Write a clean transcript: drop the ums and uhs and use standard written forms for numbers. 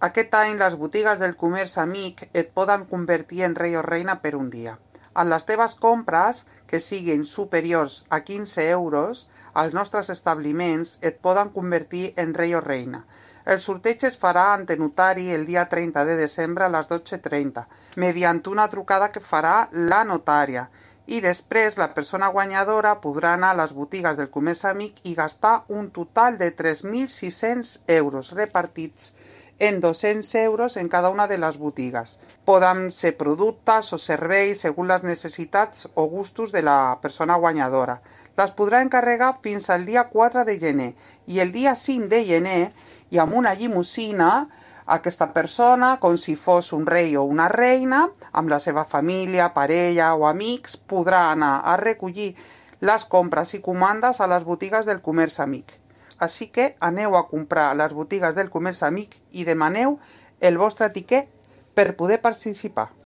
Aquest any les botigues del comerç amic et poden convertir en rei o reina per un dia. En les teves compres, que siguin superiors a 15 euros, els nostres establiments et poden convertir en rei o reina. El sorteig es farà ante notari el dia 30 de desembre a les 12:30, mediante una trucada que farà la notària. I després la persona guanyadora podrà anar a les botigues del comerç amic i gastar un total de 3.600 euros repartits en 200 euros en cada una de les botigues. Poden ser productes o serveis segons les necessitats o gustos de la persona guanyadora. Les podrà encarregar fins al dia 4 de gener i el dia 5 de gener i amb una llimusina aquesta persona, com si fos un rei o una reina, amb la seva família, parella o amics, podrà anar a recollir les compres i comandes a les botigues del comerç amic. Així que aneu a comprar a les botigues del comerç amic i demaneu el vostre tiquet per poder participar.